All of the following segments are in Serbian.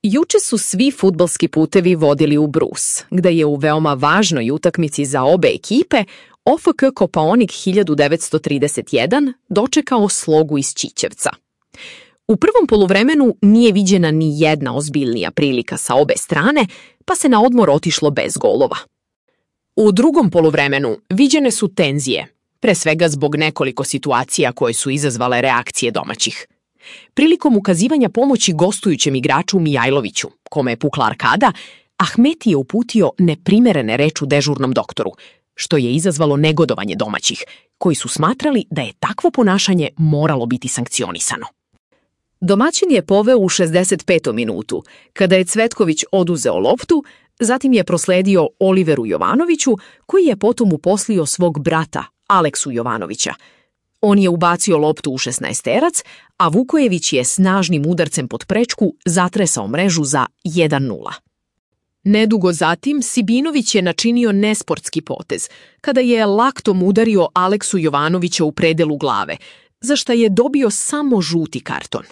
Juče su svi fudbalski putevi vodili u Brus, gde je u veoma važnoj utakmici za obe ekipe OFK Kopaonik 1931 dočekao Slogu iz Ćićevca. U prvom poluvremenu nije viđena ni jedna ozbiljnija prilika sa obe strane, pa se na odmor otišlo bez golova. U drugom poluvremenu viđene su tenzije, pre svega zbog nekoliko situacija koje su izazvale reakcije domaćih. Prilikom ukazivanja pomoći gostujućem igraču Mijajloviću, kome je pukla arkada, Ahmeti je uputio neprimerene reči dežurnom doktoru, što je izazvalo negodovanje domaćih, koji su smatrali da je takvo ponašanje moralo biti sankcionisano. Domaćin je poveo u 65. minutu, kada je Cvetković oduzeo loptu, zatim je prosledio Oliveru Jovanoviću, koji je potom uposlio svog brata, Aleksu Jovanovića. On je ubacio loptu u 16-terac, a Vukojević je snažnim udarcem pod prečku zatresao mrežu za 1:0. Nedugo zatim Sibinović je načinio nesportski potez, kada je laktom udario Aleksu Jovanovića u predelu glave, za šta je dobio samo žuti karton.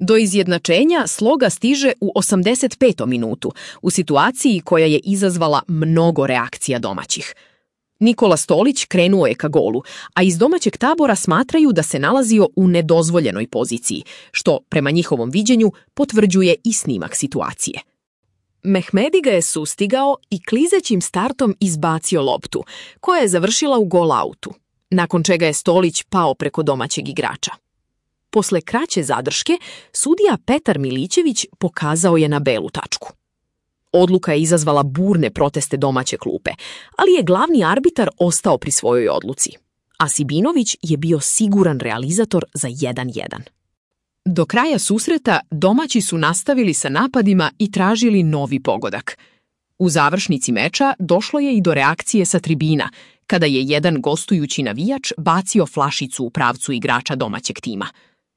Do izjednačenja Sloga stiže u 85. minutu, u situaciji koja je izazvala mnogo reakcija domaćih. Nikola Stolić krenuo je ka golu, a iz domaćeg tabora smatraju da se nalazio u nedozvoljenoj poziciji, što, prema njihovom viđenju, potvrđuje i snimak situacije. Mehmedi ga je sustigao i klizećim startom izbacio loptu, koja je završila u gol-autu, nakon čega je Stolić pao preko domaćeg igrača. Posle kraće zadrške, sudija Petar Milićević pokazao je na belu tačku. Odluka je izazvala burne proteste domaće klupe, ali je glavni arbitar ostao pri svojoj odluci, a Sibinović je bio siguran realizator za 1:1. Do kraja susreta domaći su nastavili sa napadima i tražili novi pogodak. U završnici meča došlo je i do reakcije sa tribina, kada je jedan gostujući navijač bacio flašicu u pravcu igrača domaćeg tima.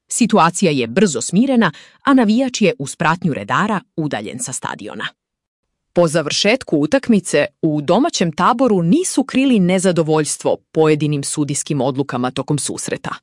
Situacija je brzo smirena, a navijač je uz pratnju redara udaljen sa stadiona. Po završetku utakmice, u domaćem taboru nisu krili nezadovoljstvo pojedinim sudijskim odlukama tokom susreta.